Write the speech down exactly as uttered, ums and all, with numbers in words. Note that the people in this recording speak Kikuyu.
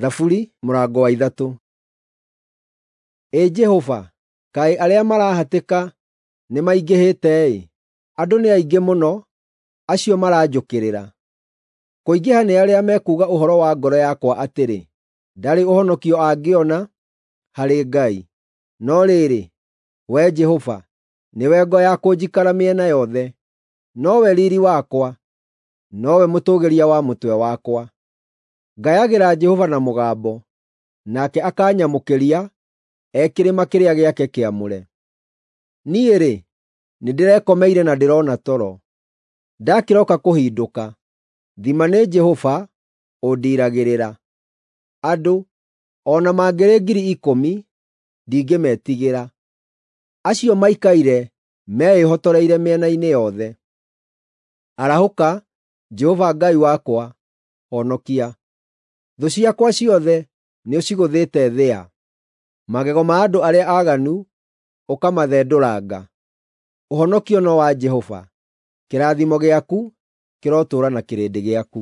Thaburi mũrango wa ithatũ. Ĩ Jehova, kaĩ arĩa marahatĩka nĩmaingĩhĩte-ĩ! Andũ nĩ aingĩ mũno acio maranjũkĩrĩra! Kũingĩha nĩ arĩa mekuuga ũhoro wa ngoro yakwa atĩrĩ, “Ndarĩ ũhonokio angĩona harĩ Ngai.” No rĩrĩ, Wee Jehova, nĩwe ngo ya kũnjikara mĩena yothe, nowe riiri wakwa, nowe mũtũũgĩria wa mũtwe wakwa. Ngayagĩra Jehova na mũgambo, nake akanyamũkĩria e kĩrĩma kĩrĩa gĩake kĩamũre. Niĩ-rĩ, nĩndĩrekomeire na ndĩrona toro; ndakĩroka kũhindũka, thima nĩ Jehova ũndiiragĩrĩra. Andũ, o na mangĩrĩ ngiri ikũmi, ndingĩmetigĩra, acio maikaire meĩhotoreire mĩena-inĩ yothe. Arahũka, Jehova Ngai wakwa, honokia! Thũ ciakwa ciothe nĩũcigũthĩte thĩa; magego ma andũ arĩa aaganu ũkamathendũranga. Ũhonokio no wa Jehova. Kĩrathimo gĩaku kĩrotũũra na kĩrĩndĩ gĩaku.